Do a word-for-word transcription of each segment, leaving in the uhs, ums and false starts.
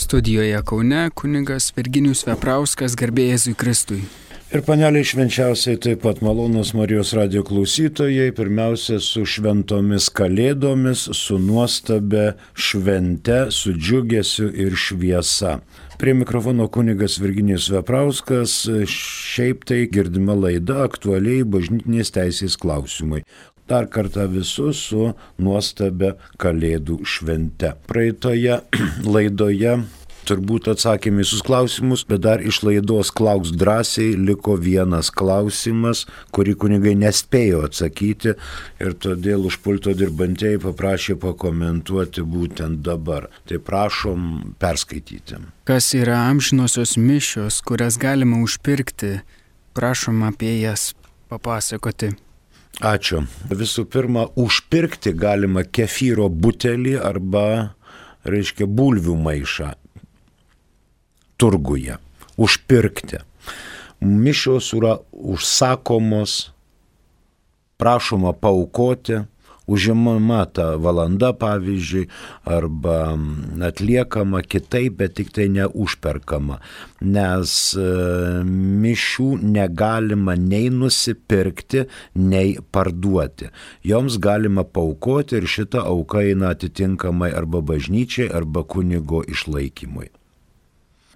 Studijoje Kaune kunigas Virginijus Veprauskas, garbė Jėzui Kristui. Ir paneliai švenčiausiai taip pat malonūs Marijos radijo klausytojai, pirmiausia su šventomis kalėdomis, su nuostabia švente, su džiugesiu ir šviesa. Prie mikrofono kunigas Virginijus Veprauskas, šiaip tai girdima laida aktualiai bažnytinės teisės klausimai. Dar kartą visus su nuostabia kalėdų švente. Praeitoje laidoje turbūt atsakėme visus klausimus, bet dar iš laidos Klausk drąsiai liko vienas klausimas, kurį kunigai nespėjo atsakyti ir todėl už pulto dirbantieji paprašė pakomentuoti būtent dabar. Tai prašom perskaityti. Kas yra amžinosios mišios, kurias galima užpirkti? Prašom apie jas papasakoti. Ačiū. Visų pirma, užpirkti galima kefyro butelį arba, reiškia, bulvių maišą turguje. Užpirkti. Mišios yra užsakomos, prašoma paaukoti, užimama ta valanda, pavyzdžiui, arba atliekama kitaip, bet tik tai neužperkama, nes e, mišių negalima nei nusipirkti, nei parduoti. Joms galima paaukoti ir šita auka eina atitinkamai arba bažnyčiai, arba kunigo išlaikymui.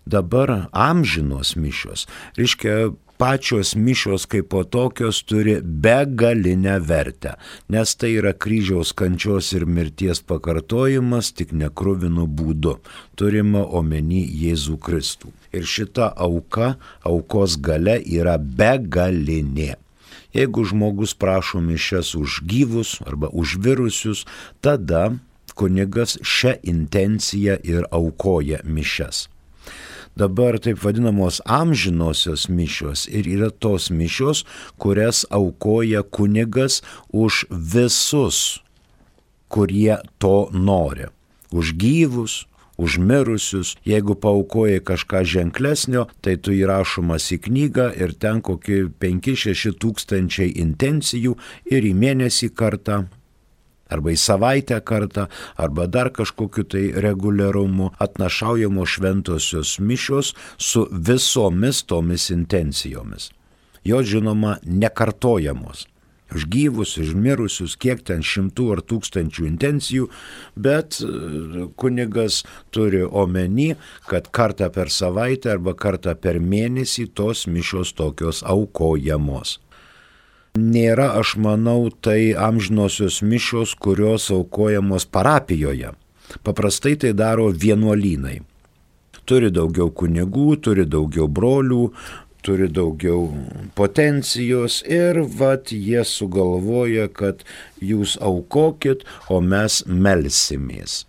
Dabar amžinos mišios, reiškia, pačios mišios kaip po tokios turi begalinę vertę, nes tai yra kryžiaus kančios ir mirties pakartojimas tik nekruvinu būdu, turima omeny Jėzų Kristų. Ir šita auka, aukos galia yra begalinė. Jeigu žmogus prašo mišias už gyvus arba už virusius, tada kunigas šią intenciją ir aukoja mišias. Dabar taip vadinamos amžinosios mišios ir yra tos mišios, kurias aukoja kunigas už visus, kurie to nori. Už gyvus, už mirusius. Jeigu paaukoji kažką ženklesnio, tai tu įrašomas į knygą ir ten kokie penki šeši tūkstančiai intencijų ir į mėnesį kartą, arba į savaitę kartą, arba dar kažkokiu tai reguliarumu atnašaujamos šventosios mišios su visomis tomis intencijomis. Jos, žinoma, nekartojamos. Už gyvus, už mirusius, kiek ten šimtų ar tūkstančių intencijų, bet kunigas turi omeny, kad kartą per savaitę arba kartą per mėnesį tos mišios tokios aukojamos. Nėra, aš manau, tai amžinosios mišios, kurios aukojamos parapijoje. Paprastai tai daro vienuolynai. Turi daugiau kunigų, turi daugiau brolių, turi daugiau potencijos ir vat jie sugalvoja, kad jūs aukokit, o mes melsimės.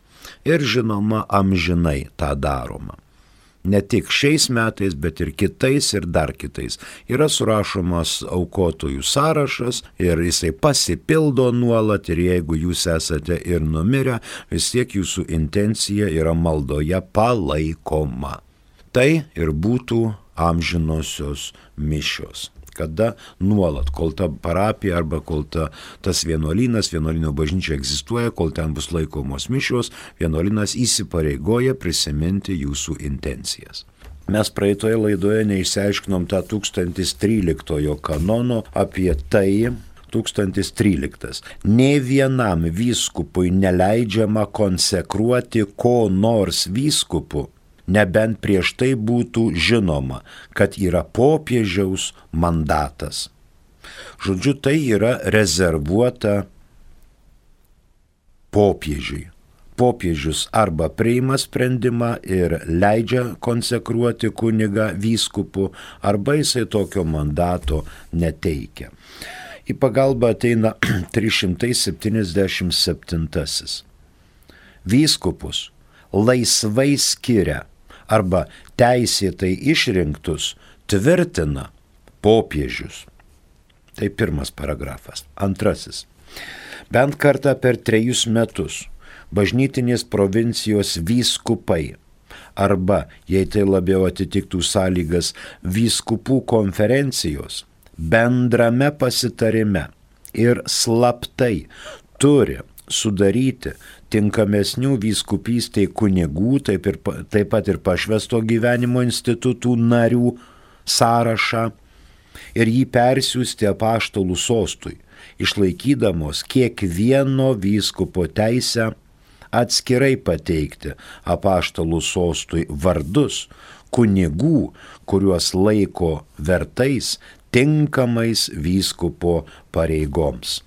Ir žinoma, amžinai tą daroma. Ne tik šiais metais, bet ir kitais ir dar kitais. Yra surašomas aukotojų sąrašas ir jisai pasipildo nuolat ir jeigu jūs esate ir numirę, vis tiek jūsų intencija yra maldoje palaikoma. Tai ir būtų amžinosios mišios. Kada nuolat, kol ta parapija arba kol ta, tas vienuolynas, vienuolyno bažnyčia egzistuoja, kol ten bus laikomos mišios, vienuolynas įsipareigoja prisiminti jūsų intencijas. Mes praeitoje laidoje neišsiaiškinom tą tūkstantis tryliktojo kanono apie tai, tūkstantis tryliktas. Nė vienam vyskupui neleidžiama konsekruoti ko nors vyskupu, nebent prieš tai būtų žinoma, kad yra popiežiaus mandatas. Žodžiu, tai yra rezervuota popiežiui. Popiežius arba priima sprendimą ir leidžia konsekruoti kunigą vyskupu, arba jisai tokio mandato neteikia. Į pagalbą ateina trys šimtai septyniasdešimt septintasis. Vyskupus laisvai skiria arba teisėtai išrinktus tvirtina popiežius. Tai pirmas paragrafas. Antrasis. Bent kartą per trejus metus bažnytinės provincijos vyskupai arba, jei tai labiau atitiktų sąlygas, vyskupų konferencijos bendrame pasitarime ir slaptai turi sudaryti tinkamesnių vyskupystėj kunigų, taip, ir, taip pat ir pašvęsto gyvenimo institutų narių sąrašą ir jį persiųsti apaštalų sostui, išlaikydamos kiekvieno vyskupo teisę atskirai pateikti apaštalų sostui vardus kunigų, kuriuos laiko vertais tinkamais vyskupo pareigoms.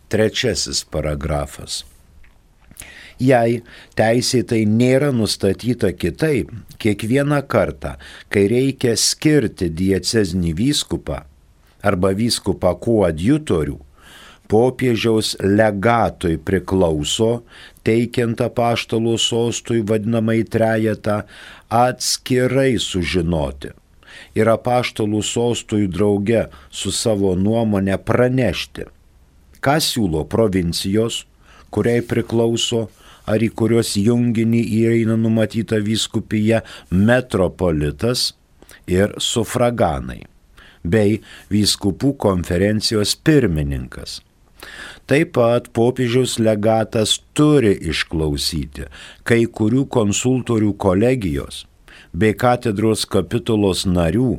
Trečiasis paragrafas. Jei teisėtai nėra nustatyta kitaip, kiekvieną kartą, kai reikia skirti diecezinį vyskupą arba vyskupą koadjutorių, popiežiaus legatui priklauso, teikiant apaštalų sostui vadinamai trejetą, atskirai sužinoti ir apaštalų sostui drauge su savo nuomonė pranešti, ką siūlo provincijos, kuriai priklauso, ar į kurios junginį įeina numatyta vyskupija metropolitas ir sufraganai, bei vyskupų konferencijos pirmininkas. Taip pat popiežiaus legatas turi išklausyti kai kurių konsultorių kolegijos bei katedros kapitulos narių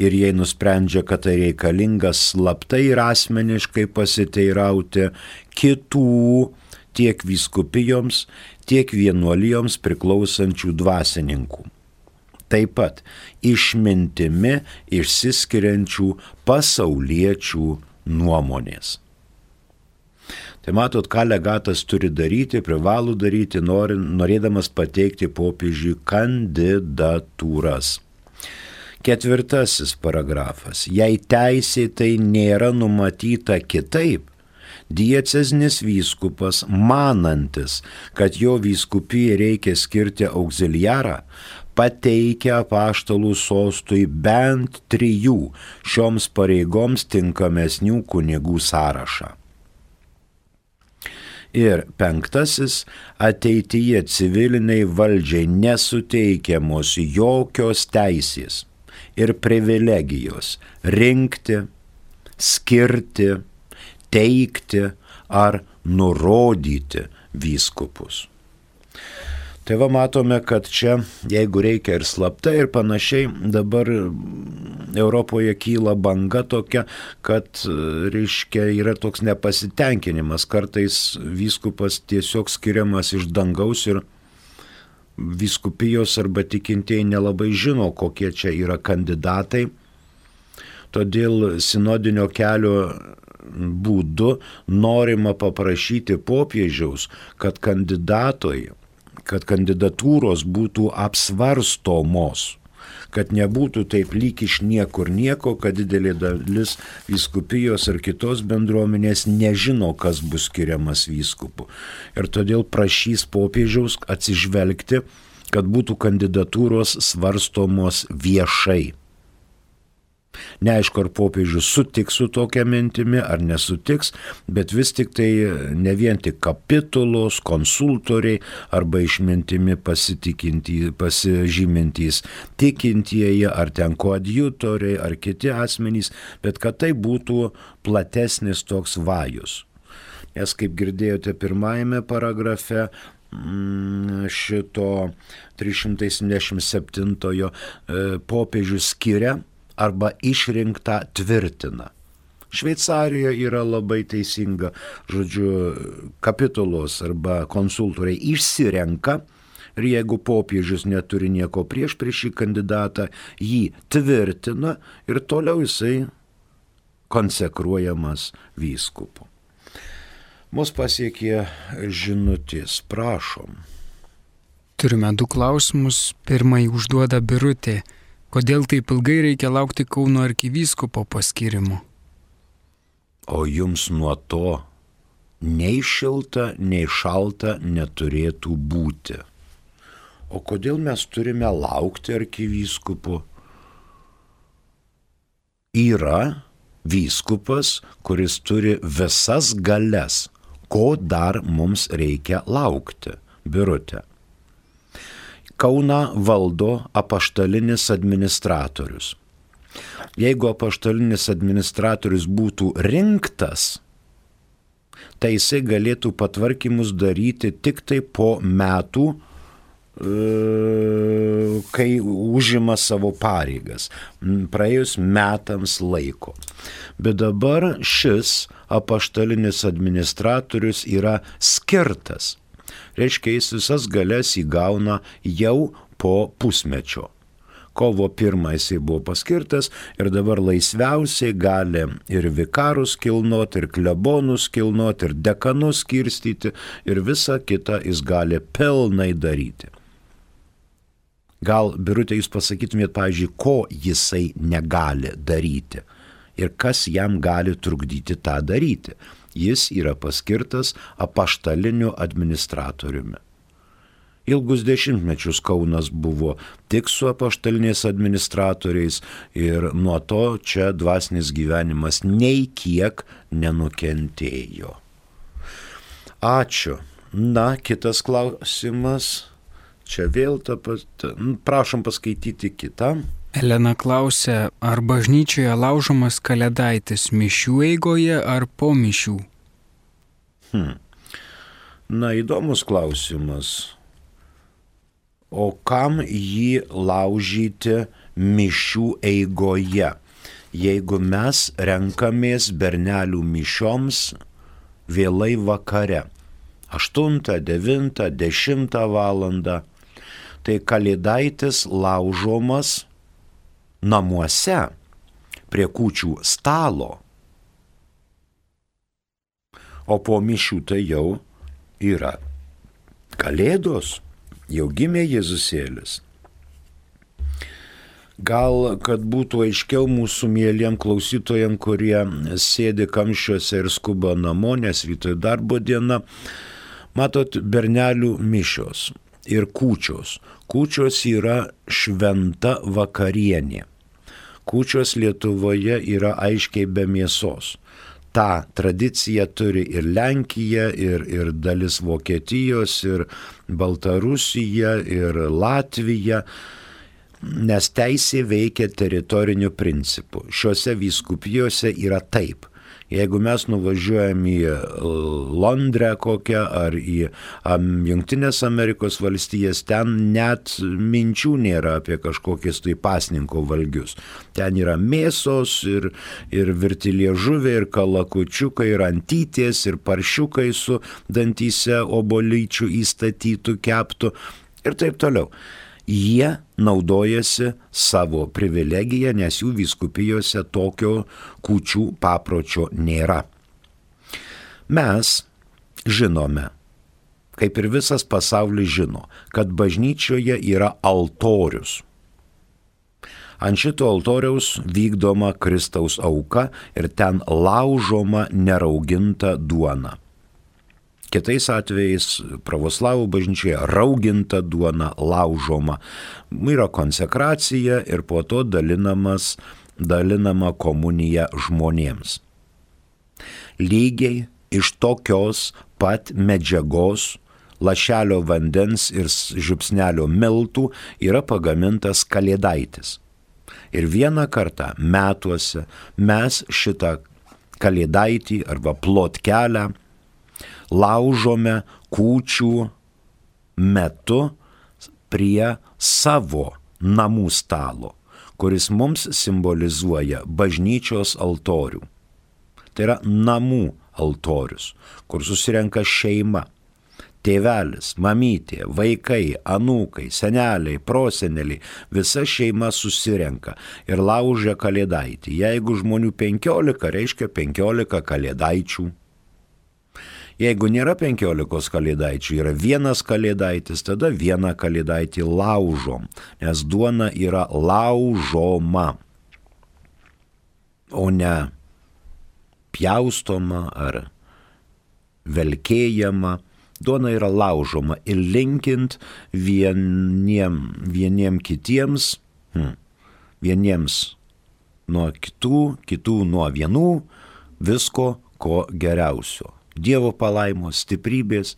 ir jei nusprendžia, kad tai reikalingas slaptai ir asmeniškai pasiteirauti kitų tiek vyskupijoms, tiek vienuolijoms priklausančių dvasininkų. Taip pat išmintimi išsiskiriančių pasauliečių nuomonės. Tai matot, ką legatas turi daryti, privalo daryti, norėdamas pateikti popiežiui kandidatūras. Ketvirtasis paragrafas. Jei teisėtai nėra numatyta kitaip, diecezinis vyskupas, manantis, kad jo vyskupijai reikia skirti auxiliarą, pateikia apaštalų sostui bent trijų šioms pareigoms tinkamesnių kunigų sąrašą. Ir penktasis, ateityje civiliniai valdžiai nesuteikiamos jokios teisės ir privilegijos rinkti, skirti, teikti ar nurodyti vyskupus. Tai va matome, kad čia, jeigu reikia ir slapta ir panašiai, dabar Europoje kyla banga tokia, kad, reiškia, yra toks nepasitenkinimas. Kartais vyskupas tiesiog skiriamas iš dangaus ir vyskupijos arba tikintieji nelabai žino, kokie čia yra kandidatai. Todėl sinodinio kelio būdu norima paprašyti popiežiaus, kad kandidatoj, kad kandidatūros būtų apsvarstomos, kad nebūtų taip lyg iš niekur nieko, kad didelė dalis vyskupijos ar kitos bendruomenės nežino, kas bus skiriamas vyskupu. Ir todėl prašys popiežiaus atsižvelgti, kad būtų kandidatūros svarstomos viešai. Neaišku, ar popiežius sutiks su tokia mintimi, ar nesutiks, bet vis tik tai ne vien tik kapitulos, konsultoriai arba išmintimi pasižymintys tikintieji, ar ten koadjutoriai, ar kiti asmenys, bet kad tai būtų platesnis toks vajus. Nes, kaip girdėjote pirmajame paragrafe, šito trys šimtai septyniasdešimt septintojo popiežius skiria arba išrinktą tvirtina. Šveicarijoje yra labai teisinga, žodžiu, kapitulos arba konsultoriai išsirenka ir jeigu popiežius neturi nieko prieš prieš šį kandidatą, jį tvirtina ir toliau jisai konsekruojamas vyskupu. Mus pasiekė žinutės, prašom. Turime du klausimus. Pirmąjį užduoda Birutė. Kodėl taip ilgai reikia laukti Kauno arkivyskupo paskyrimo? O jums nuo to nei šilta, nei šalta neturėtų būti. O kodėl mes turime laukti arkivyskupo? Yra vyskupas, kuris turi visas galias. Ko dar mums reikia laukti, Birutė? Kauną valdo apaštalinis administratorius. Jeigu apaštalinis administratorius būtų rinktas, tai jisai galėtų patvarkymus daryti tik tai po metų, kai užima savo pareigas, praėjus metams laiko. Bet dabar šis apaštalinis administratorius yra skirtas. Reiškia, jis visas galias įgauna jau po pusmečio. Kovo pirmą jisai buvo paskirtas ir dabar laisviausiai gali ir vikarus kilnoti, ir klebonus kilnoti, ir dekanus skirstyti, ir visą kitą jis gali pilnai daryti. Gal, Birutė, jūs pasakytumėt, pavyzdžiui, ko jisai negali daryti ir kas jam gali trukdyti tą daryti. Jis yra paskirtas apaštaliniu administratoriumi. Ilgus dešimtmečius Kaunas buvo tik su apaštaliniais administratoriais ir nuo to čia dvasinis gyvenimas nei kiek nenukentėjo. Ačiū. Na, kitas klausimas. Čia vėl ta pat. Prašom paskaityti kitą. Elena klausia, ar bažnyčioje laužomas kalėdaitis mišių eigoje ar po mišių? Hmm. Na, įdomus klausimas. O kam jį laužyti mišių eigoje, jeigu mes renkamės bernelių mišioms vėlai vakare, aštuntą, devintą, dešimtą valandą, tai kalėdaitis laužomas namuose prie kūčių stalo, o po mišių tai jau yra kalėdos. Jau gimė Jėzusėlis. Gal, kad būtų aiškiau mūsų mėliem klausytojam, kurie sėdi kamščiuose ir skuba namo, nes rytoj darbo diena, matot, bernelių mišios ir kūčios. Kūčios yra šventa vakarienė. Kūčios Lietuvoje yra aiškiai be mėsos. Ta tradicija turi ir Lenkija, ir, ir dalis Vokietijos, ir Baltarusija, ir Latvija, nes teisė veikia teritoriniu principu. Šiuose vyskupijose yra taip. Jeigu mes nuvažiuojam į Londrę kokią ar į Jungtinės Amerikos valstijas, ten net minčių nėra apie kažkokius tai pasninko valgius. Ten yra mėsos ir, ir virti liežuvė, ir kalakučiukai, ir antytės, ir paršiukai su dantyse obolyčių įstatytų, keptų ir taip toliau. Jie naudojasi savo privilegiją, nes jų vyskupijose tokio kūčių papročio nėra. Mes žinome, kaip ir visas pasaulis žino, kad bažnyčioje yra altorius. Ant šito altoriaus vykdoma Kristaus auka ir ten laužoma nerauginta duona. Kitais atvejais pravoslavų bažnyčioje rauginta duona laužoma. Yra konsekracija ir po to dalinamas, dalinama komunija žmonėms. Lygiai iš tokios pat medžiagos, lašelio vandens ir žiupsnelio miltų yra pagamintas kalėdaitis. Ir vieną kartą metuose mes šitą kalėdaitį arba plotkelę laužome kūčių metu prie savo namų stalo, kuris mums simbolizuoja bažnyčios altorių. Tai yra namų altorius, kur susirenka šeima, tėvelis, mamytė, vaikai, anūkai, seneliai, proseneliai, visa šeima susirenka ir laužia kalėdaitį. Jeigu žmonių penkiolika, reiškia penkiolika kalėdaičių. Jeigu nėra penkiolikos kalėdaičių, yra vienas kalėdaitis, tada vieną kalėdaitį laužom, nes duona yra laužoma, o ne pjaustoma ar velkėjama. Duona yra laužoma ir linkint vieniem, vieniem kitiems, hmm, vieniems nuo kitų, kitų nuo vienų, visko ko geriausio. Dievo palaimos, stiprybės,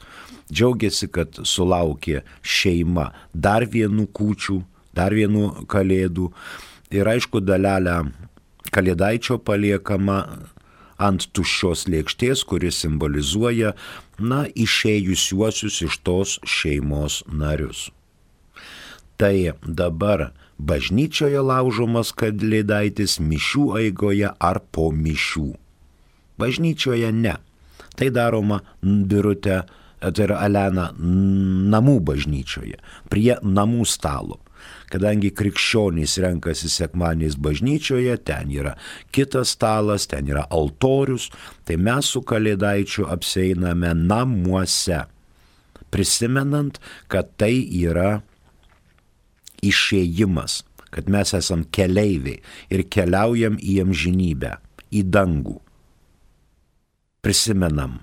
džiaugiasi, kad sulaukė šeima dar vienų kūčių, dar vienų kalėdų ir aišku dalelę kalėdaičio paliekama ant tuščios lėkštės, kuris simbolizuoja, na, išėjusiuosius iš tos šeimos narius. Tai dabar bažnyčioje laužomas kalėdaitis mišių eigoje ar po mišių. Bažnyčioje ne. Tai daroma Birutė, tai yra Elena, namų bažnyčioje, prie namų stalo. Kadangi krikščionys renkasi sekmadieniais bažnyčioje, ten yra kitas stalas, ten yra altorius, tai mes su kalėdaičiu apsieiname namuose, prisimenant, kad tai yra išėjimas, kad mes esam keleiviai ir keliaujam į amžinybę, į dangų. Prisimenam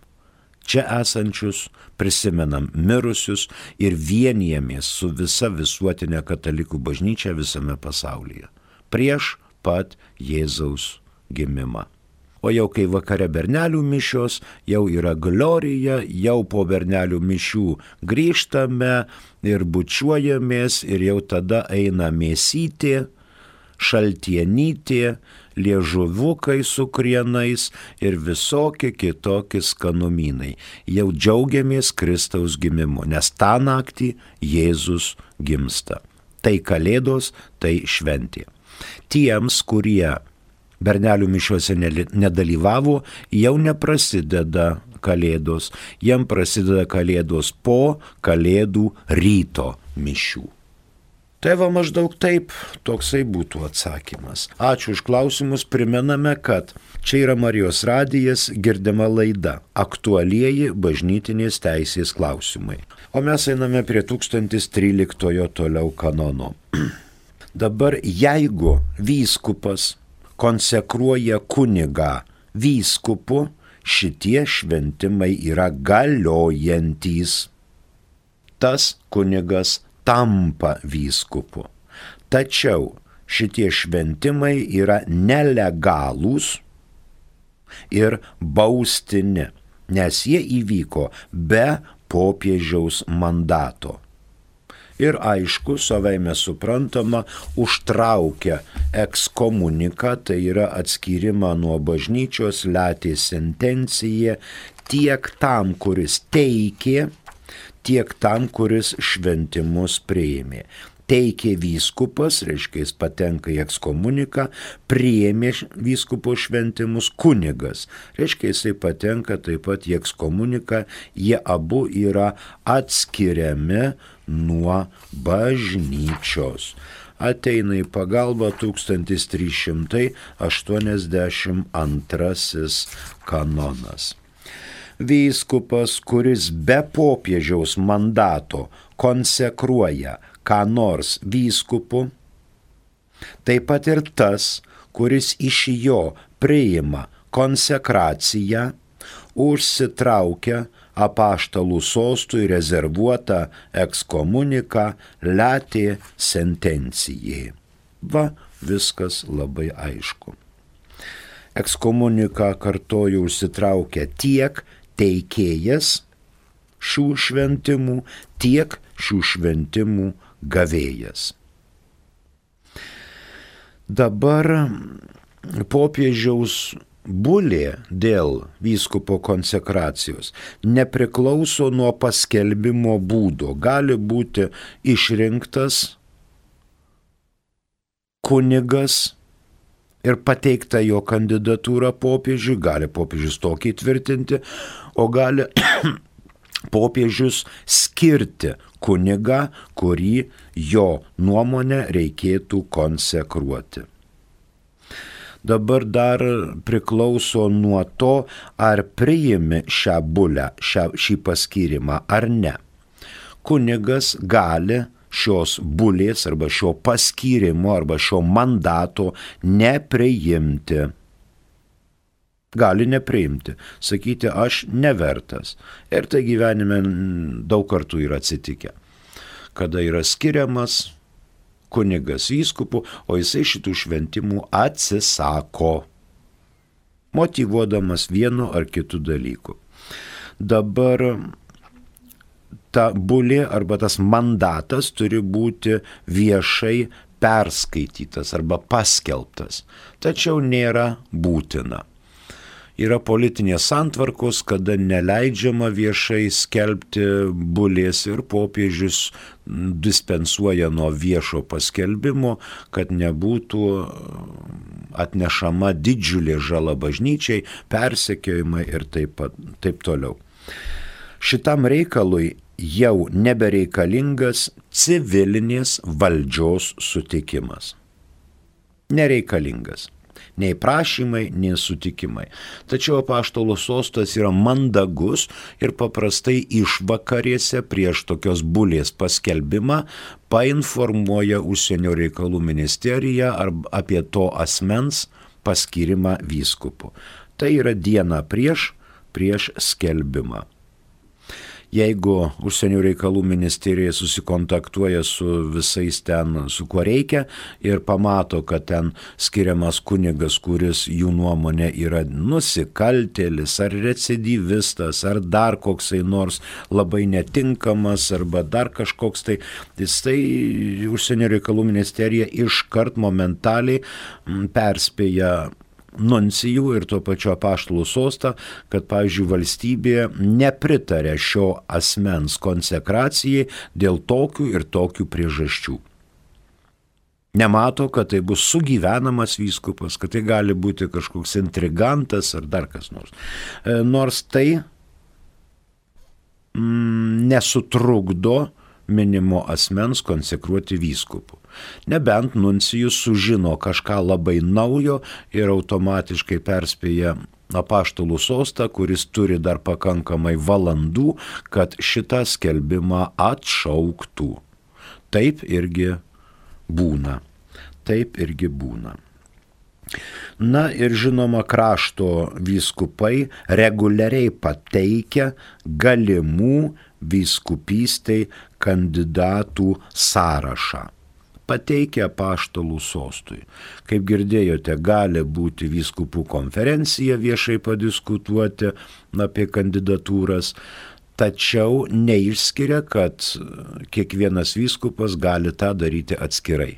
čia esančius, prisimenam mirusius ir vienijamės su visa visuotinė katalikų bažnyčia visame pasaulyje. Prieš pat Jėzaus gimimą. O jau kai vakare bernelių mišios, jau yra glorija, jau po bernelių mišių grįžtame ir bučiuojamės ir jau tada eina mėsytė, šaltienytė, liežuviukai su krienais ir visokie kitokie skanumynai. Jau džiaugiamės Kristaus gimimu, nes tą naktį Jėzus gimsta. Tai kalėdos, tai šventė. Tiems, kurie bernelių mišiuose nedalyvavo, jau neprasideda kalėdos, jiem prasideda kalėdos po kalėdų ryto mišių. Tai va maždaug taip, toksai būtų atsakymas. Ačiū už klausimus, primename, kad čia yra Marijos radijas, girdima laida Aktualieji bažnytinės teisės klausimai. O mes einame prie tūkstantis tryliktojo toliau kanono. Dabar jeigu vyskupas konsekruoja kunigą vyskupu, šitie šventimai yra galiojantys. Tas kunigas tampa vyskupu. Tačiau šitie šventimai yra nelegalūs ir baustini, nes jie įvyko be popiežiaus mandato. Ir aišku, savaime suprantama, užtraukia ekskomuniką, tai yra atskyrimą nuo bažnyčios, letė sentencija, tiek tam, kuris teikė, tiek tam, kuris šventimus priėmė. Teikė vyskupas, reiškia jis patenka į ekskomuniką, priėmė vyskupo šventimus kunigas, reiškia jisai patenka taip pat į ekskomuniką, jie abu yra atskiriami nuo bažnyčios. Ateina į pagalbą tūkstantis trys šimtai aštuoniasdešimt antrasis kanonas. Vyskupas, kuris be popiežiaus mandato konsekruoja ką nors vyskupu, taip pat ir tas, kuris iš jo priima konsekraciją, užsitraukia apaštalų sostui rezervuotą ekskomuniką letė sentencijai. Va, viskas labai aišku. Ekskomuniką, kartoju, užsitraukia tiek teikėjas šių šventimų, tiek šių šventimų gavėjas. Dabar popiežiaus bulė dėl vyskupo konsekracijos nepriklauso nuo paskelbimo būdo. Gali būti išrinktas kunigas ir pateikta jo kandidatūra popiežiui, gali popiežius tokį tvirtinti, o gali popiežius skirti kunigą, kurį jo nuomonę reikėtų konsekruoti. Dabar dar priklauso nuo to, ar priimi šią bulę, šią, šį paskyrimą ar ne. Kunigas gali šios bulės arba šio paskyrimo arba šio mandato nepriimti. Gali nepriimti, sakyti, aš nevertas. Ir tai gyvenime daug kartų yra atsitikę, kada yra skiriamas kunigas vyskupu, o jisai šitų šventimų atsisako, motyvuodamas vienu ar kitu dalyku. Dabar ta bulė arba tas mandatas turi būti viešai perskaitytas arba paskelbtas, tačiau nėra būtina. Yra politinės santvarkos, kada neleidžiama viešai skelbti bulės ir popiežius dispensuoja nuo viešo paskelbimo, kad nebūtų atnešama didžiulė žala bažnyčiai, persekiojimai ir taip, taip toliau. Šitam reikalui jau nebereikalingas civilinės valdžios sutikimas. Nereikalingas. Nei prašymai, nei sutikimai. Tačiau apaštalo sostas yra mandagus ir paprastai išvakarėse prieš tokios bulės paskelbimą painformuoja užsienio reikalų ministeriją apie to asmens paskyrimą vyskupu. Tai yra diena prieš, prieš skelbimą. Jeigu užsienio reikalų ministerija susikontaktuoja su visais ten, su kuo reikia ir pamato, kad ten skiriamas kunigas, kuris jų nuomonė yra nusikaltėlis ar recidyvistas ar dar koksai nors labai netinkamas arba dar kažkoks tai, tai užsienio reikalų ministerija iškart momentaliai perspėja nuncijų ir tuo pačiu apaštalų sostą, kad, pavyzdžiui, valstybė nepritarė šio asmens konsekracijai dėl tokių ir tokių priežasčių. Nemato, kad tai bus sugyvenamas vyskupas, kad tai gali būti kažkoks intrigantas ar dar kas nors. Nors tai mm, nesutrukdo minimo asmens konsekruoti vyskupu. Nebent nuncijus sužino kažką labai naujo ir automatiškai perspėja apaštalų sostą, kuris turi dar pakankamai valandų, kad šitą skelbimą atšauktų. Taip irgi būna. Taip irgi būna. Na ir žinoma, krašto vyskupai reguliariai pateikia galimų vyskupystei kandidatų sąrašą. Pateikia apaštalų sostui. Kaip girdėjote, gali būti vyskupų konferencija viešai padiskutuoti apie kandidatūras, tačiau neišskiria, kad kiekvienas vyskupas gali tą daryti atskirai.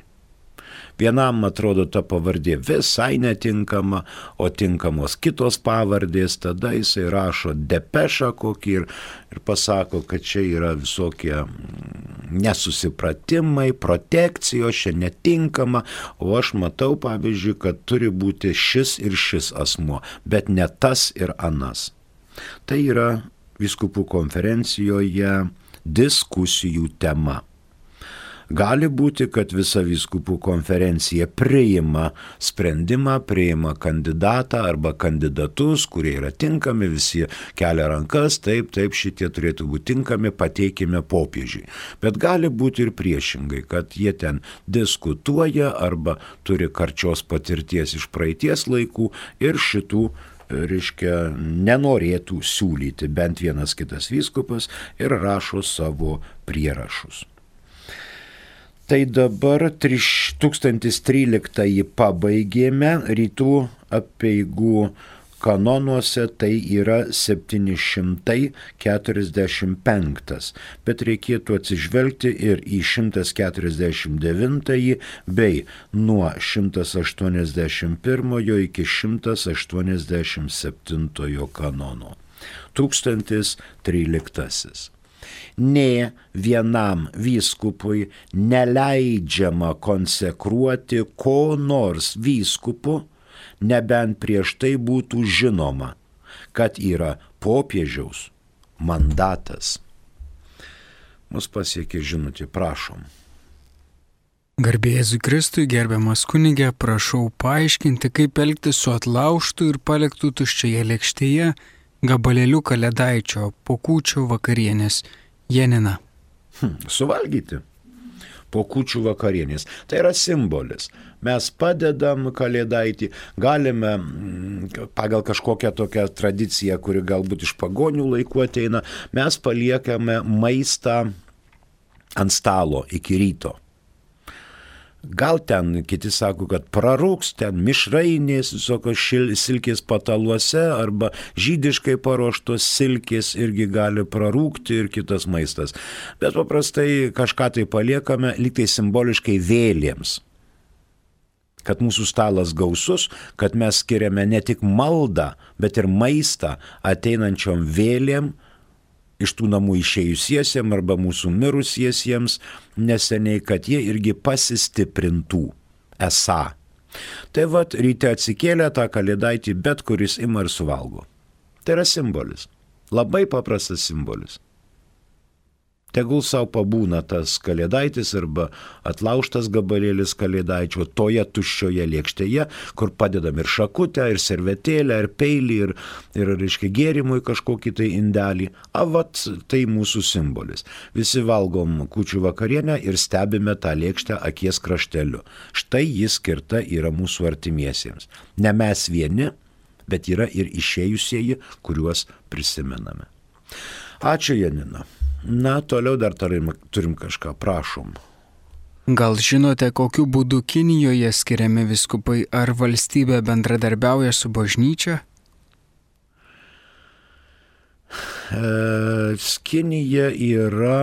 Vienam atrodo ta pavardė visai netinkama, o tinkamos kitos pavardės, tada jisai rašo depešą kokį ir, ir pasako, kad čia yra visokie nesusipratimai, protekcijos, čia netinkama, o aš matau, pavyzdžiui, kad turi būti šis ir šis asmuo, bet ne tas ir anas. Tai yra vyskupų konferencijoje diskusijų tema. Gali būti, kad visa vyskupų konferencija priima sprendimą, priima kandidatą arba kandidatus, kurie yra tinkami, visi kelia rankas, taip, taip, šitie turėtų būti tinkami, pateikime popiežiui. Bet gali būti ir priešingai, kad jie ten diskutuoja arba turi karčios patirties iš praeities laikų ir šitų reiškia, nenorėtų siūlyti bent vienas kitas vyskupas ir rašo savo prierašus. Tai dabar tūkstantis tryliktąjį pabaigėme, rytų apeigų kanonuose tai yra septyni šimtai keturiasdešimt penktas, bet reikėtų atsižvelgti ir į šimtas keturiasdešimt devintąjį bei nuo šimtas aštuoniasdešimt pirmojo iki šimtas aštuoniasdešimt septintojo kanono. Tūkstantis tryliktasis. Nė vienam vyskupui neleidžiama konsekruoti ko nors vyskupu, nebent prieš tai būtų žinoma, kad yra popiežiaus mandatas. Mus pasiekė žinutė, prašom. Garbė Jėzui Kristui, gerbiamas kunige, prašau paaiškinti, kaip elgtis su atlaužtu ir paliktu tuščioje lėkštėje gabalėliu kalėdaičio po kūčių vakarienės. Janina. Hmm, suvalgyti po kūčių vakarienės. Tai yra simbolis. Mes padedam kalėdaitį, galime pagal kažkokią tokią tradiciją, kuri galbūt iš pagonių laikų ateina, mes paliekame maistą ant stalo iki ryto. Gal ten, kiti sako, kad prarūks ten mišrainės, visokios šil, silkės pataluose arba žydiškai paruoštos silkės irgi gali prarūkti ir kitas maistas. Bet paprastai kažką tai paliekame, lyg tai simboliškai vėlėms. kad mūsų stalas gausus, kad mes skiriame ne tik maldą, bet ir maistą ateinančiom vėlėm, iš tų namų išėjusiesiems arba mūsų mirusiesiems neseniai, kad jie irgi pasistiprintų esą. Tai vat ryte atsikėlė tą kalėdaitį, bet kuris ima ir suvalgo. Tai yra simbolis. Labai paprastas simbolis. Tegul savo pabūna tas kalėdaitis arba atlaužtas gabalėlis kalėdaičio toje tuščioje lėkštėje, kur padedam ir šakutę, ir servetėlę, ir peilį, ir, ir reiškia, gėrimui kažkokį tai indelį. A, vat, tai mūsų simbolis. Visi valgom kūčių vakarienę ir stebime tą lėkštę akies krašteliu. Štai jis skirta yra mūsų artimiesiems. Ne mes vieni, bet yra ir išėjusieji, kuriuos prisimename. Ačiū, Janina. Na, toliau dar turim, turim kažką, prašom. Gal žinote, kokiu būdu Kinijoje skiriami vyskupai, ar valstybė bendradarbiauja su bažnyčia? E, Kinija yra,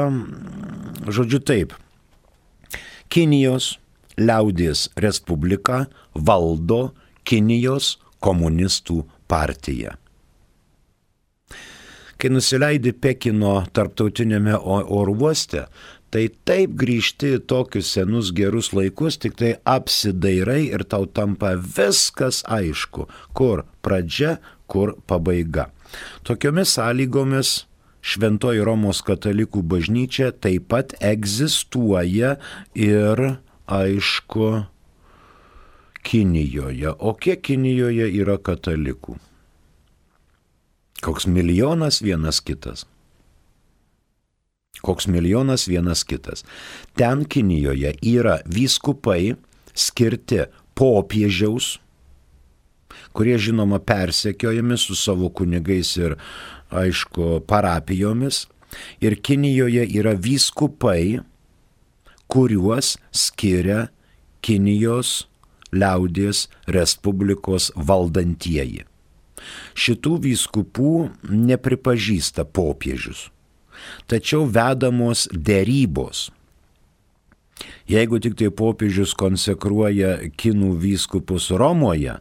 žodžiu taip, Kinijos liaudies respublika valdo Kinijos komunistų partija. Kai nusileidi Pekino tarptautinėme oro uoste, tai taip grįžti į tokius senus gerus laikus, tik tai apsidairai ir tau tampa viskas aišku, kur pradžia, kur pabaiga. Tokiomis sąlygomis Šventoji Romos katalikų bažnyčia taip pat egzistuoja ir, aišku, Kinijoje. O kiek Kinijoje yra katalikų? Koks milijonas vienas kitas. Koks milijonas vienas kitas. Ten Kinijoje yra vyskupai skirti popiežiaus, kurie žinoma persekiojami su savo kunigais ir, aišku, parapijomis. Ir Kinijoje yra vyskupai, kuriuos skiria Kinijos liaudies respublikos valdantieji. Šitų vyskupų nepripažįsta popiežius, tačiau vedamos derybos. Jeigu tik tai popiežius konsekruoja kinų vyskupus Romoje,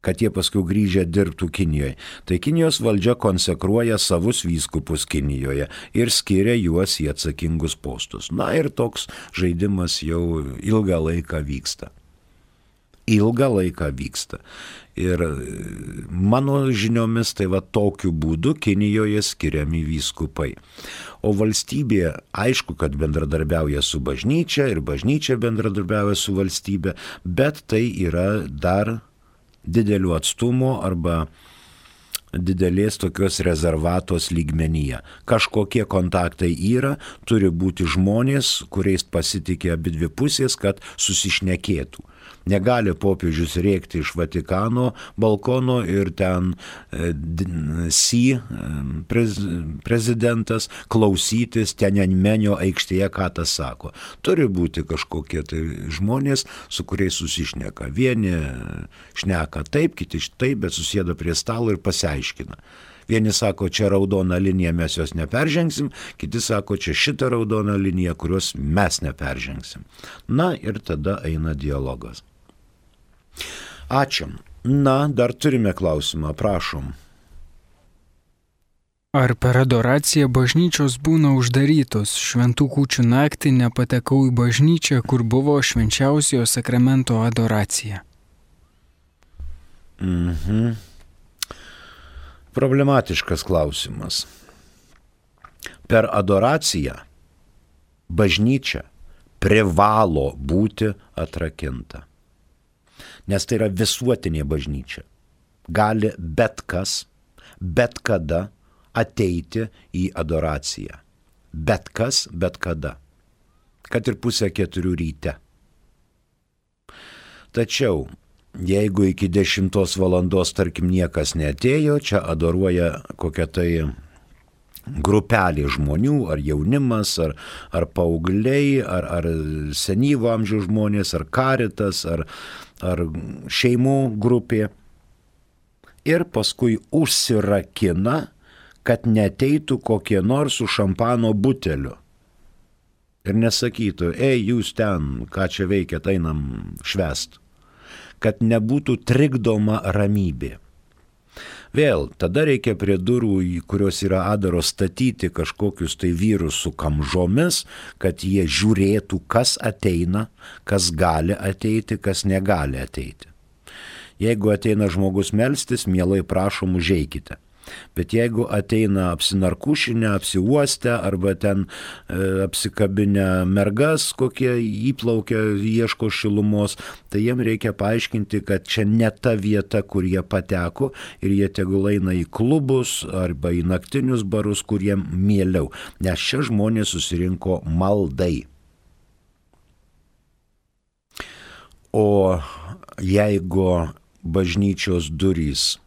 kad jie paskui grįžę dirbtų Kinijoje, tai Kinijos valdžia konsekruoja savus vyskupus Kinijoje ir skiria juos į atsakingus postus. Na ir toks žaidimas jau ilgą laiką vyksta. Ilgą laiką vyksta. Ir mano žiniomis tai va tokiu būdu Kinijoje skiriami vyskupai. O valstybė, aišku, kad bendradarbiauja su bažnyčia ir bažnyčia bendradarbiauja su valstybė, bet tai yra dar didelių atstumų arba didelės tokios rezervatos lygmenyje. Kažkokie kontaktai yra, turi būti žmonės, kuriais pasitikė abidvi pusės, kad susišnekėtų. Negali popiežius rėkti iš Vatikano balkono ir ten e, si prez, prezidentas klausytis Tiananmenio aikštėje, ką tas sako. Turi būti kažkokie tai žmonės, su kuriais susišneka. Vieni šneka taip, kiti taip, bet susėda prie stalo ir pasiaiškina. Vieni sako, čia raudona linija, mes jos neperžengsim, kiti sako, čia šitą raudoną liniją, kurios mes neperžengsim. Na ir tada eina dialogas. Ačiū. Na, dar turime klausimą, prašom. Ar per adoraciją bažnyčios būna uždarytos? Šventų kūčių naktį nepatekau į bažnyčią, kur buvo švenčiausiojo sakramento adoracija. Mhm. Problematiškas klausimas. Per adoraciją bažnyčia privalo būti atrakinta. Nes tai yra visuotinė bažnyčia. Gali bet kas, bet kada ateiti į adoraciją. Bet kas, bet kada. Kad ir pusę keturių ryte. Tačiau, jeigu iki dešimtos valandos, tarkim, niekas neatėjo, čia adoruoja kokia tai grupelė žmonių, ar jaunimas, ar, ar paaugliai, ar, ar senyvo amžiaus žmonės, ar karitas, ar, ar šeimų grupė. Ir paskui užsirakina, kad neteitų kokie nors su šampano buteliu. Ir nesakytų, ei, jūs ten, ką čia veikiat, einam švęst. Kad nebūtų trikdoma ramybė. Vėl, tada reikia prie durų, kurios yra adaros, statyti kažkokius tai vyrus su kamžomis, kad jie žiūrėtų, kas ateina, kas gali ateiti, kas negali ateiti. Jeigu ateina žmogus melstis, mielai prašom, užeikite. Bet jeigu ateina apsinarkušinę, apsiuostę arba ten e, apsikabinę mergas, kokie įplaukia, ieško šilumos, tai jiem reikia paaiškinti, kad čia ne ta vieta, kur jie pateko ir jie tegul eina į klubus arba į naktinius barus, kur jiem mieliau, nes čia žmonės susirinko maldai. O jeigu bažnyčios durys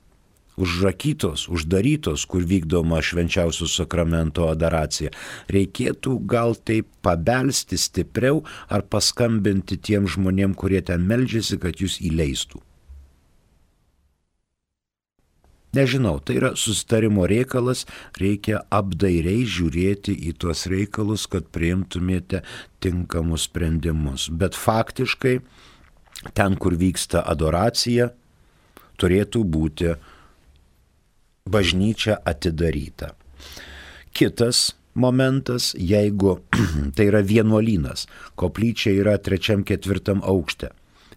užrakytos, uždarytos, kur vykdoma švenčiausio sakramento adoracija, reikėtų gal taip pabelsti stipriau ar paskambinti tiem žmonėm, kurie ten meldžiasi, kad jūs įleistų. Nežinau, tai yra susitarimo reikalas, reikia apdairiai žiūrėti į tuos reikalus, kad priimtumėte tinkamus sprendimus. Bet faktiškai, ten, kur vyksta adoracija, turėtų būti bažnyčia atidaryta. Kitas momentas, jeigu tai yra vienuolynas, koplyčia yra trečiam, ketvirtam aukšte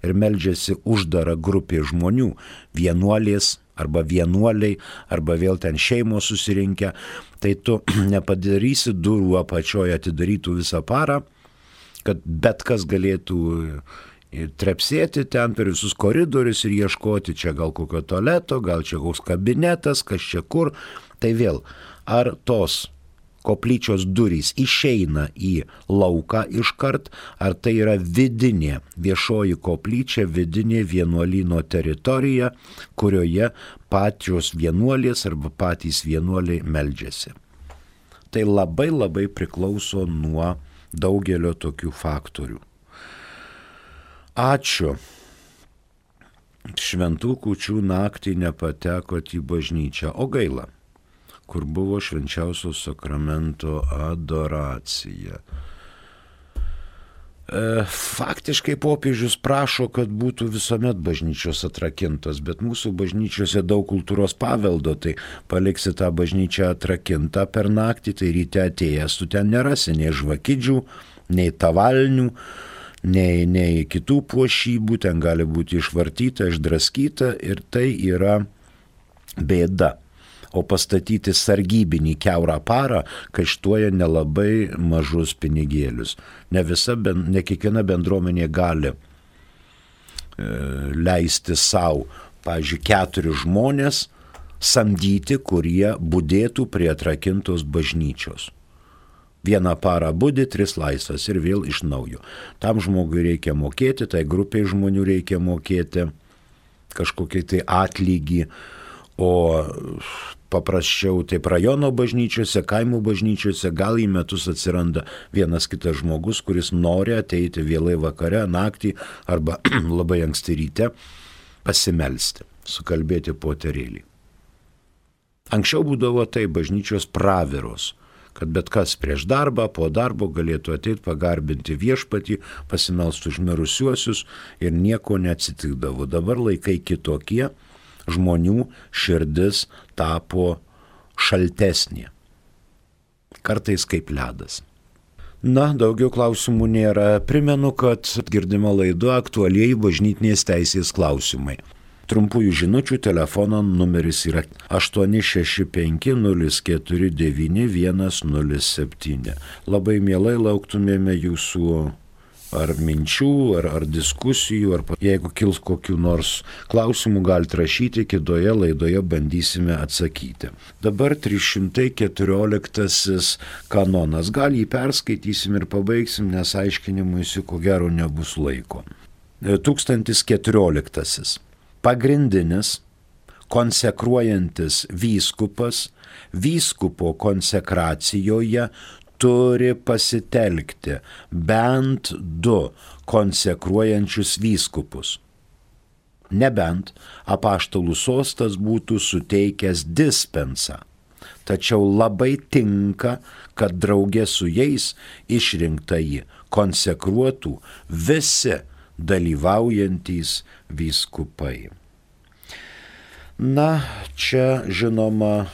ir meldžiasi uždara grupė žmonių, vienuolės arba vienuoliai, arba vėl ten šeimos susirinkę, tai tu nepadarysi durų apačioje atidarytų visą parą, kad bet kas galėtų ir trepsėti ten per visus koridorius ir ieškoti čia gal kokio tualeto, gal čia koks kabinetas, kas čia kur. Tai vėl, ar tos koplyčios durys išeina į lauką iškart, ar tai yra vidinė viešoji koplyčia, vidinė vienuolyno teritorija, kurioje pačios vienuolės arba patys vienuoliai meldžiasi. Tai labai labai priklauso nuo daugelio tokių faktorių. Ačiū. Šventų kūčių naktį nepatekot į bažnyčią, o gaila, kur buvo švenčiausio sakramento adoracija. E, faktiškai popiežius prašo, kad būtų visuomet bažnyčios atrakintos, bet mūsų bažnyčiose daug kultūros paveldo, tai paliksi tą bažnyčią atrakintą per naktį, tai ryte atėjęs tu ten nerasi nei žvakidžių, nei tavalnių, Nei, nei kitų puošybų, ten gali būti išvartyta, išdraskyta ir tai yra bėda. O pastatyti sargybinį kiaurą parą kaištuoja nelabai mažus pinigėlius. Ne, visa, ne kiekviena bendruomenė gali e, leisti savo, pavyzdžiui, keturis žmonės samdyti, kurie budėtų prie atrakintos bažnyčios. Vieną parą budi, tris laisvas ir vėl iš naujo. Tam žmogui reikia mokėti, tai grupiai žmonių reikia mokėti kažkokį tai atlygį, o paprasčiau taip rajono bažnyčiose, kaimų bažnyčiose gal į metus atsiranda vienas kitas žmogus, kuris nori ateiti vėlai vakare, naktį arba labai anksti ryte pasimelsti, sukalbėti poterėlį. Anksčiau būdavo tai bažnyčios praviros, kad bet kas prieš darbą, po darbo galėtų ateiti pagarbinti viešpatį, pasimelsti už mirusiuosius ir nieko neatsitikdavo. Dabar laikai kitokie, žmonių širdis tapo šaltesnė, kartais kaip ledas. Na, daugiau klausimų nėra. Primenu, kad girdima laida aktualieji bažnytinės teisės klausimai. Trumpųjų žinučių telefono numeris yra aštuoni šeši penki nulis keturi devyni vienas nulis septyni. Labai mielai lauktumėme jūsų ar minčių, ar, ar diskusijų, ar jeigu kils kokių nors klausimų, galite rašyti, kitoje laidoje bandysime atsakyti. Dabar trys šimtai keturioliktasis kanonas. Gal jį perskaitysim ir pabaigsim, nes aiškinimuisi ko gero nebus laiko. tūkstantis keturioliktasis. Pagrindinis konsekruojantis vyskupas vyskupo konsekracijoje turi pasitelkti bent du konsekruojančius vyskupus. Nebent apaštalų sostas būtų suteikęs dispensą. tačiau labai tinka, kad draugė su jais išrinktąjį konsekruotų visi dalyvaujantys vyskupai. Na, čia žinoma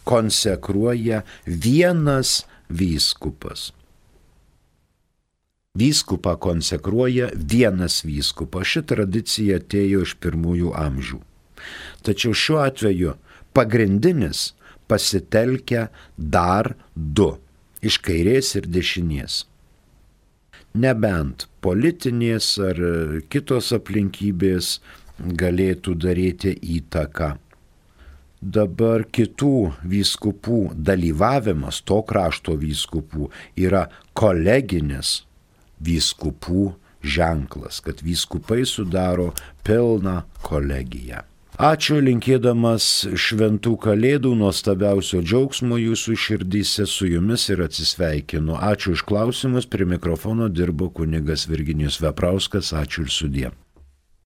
konsekruoja vienas vyskupas. Vyskupą konsekruoja vienas vyskupas. Ši tradicija atėjo iš pirmųjų amžių. Tačiau šiuo atveju pagrindinis pasitelkia dar du – iš kairės ir dešinės. Nebent politinės ar kitos aplinkybės galėtų daryti įtaką. Dabar kitų vyskupų dalyvavimas, to krašto vyskupų, yra koleginis vyskupų ženklas, kad vyskupai sudaro pilną kolegiją. Ačiū, linkėdamas šventų kalėdų, nuostabiausio džiaugsmo jūsų širdyse, su jumis ir atsisveikinu. Ačiū už klausimus, prie mikrofono dirbo kunigas Virginijus Veprauskas, ačiū ir sudie.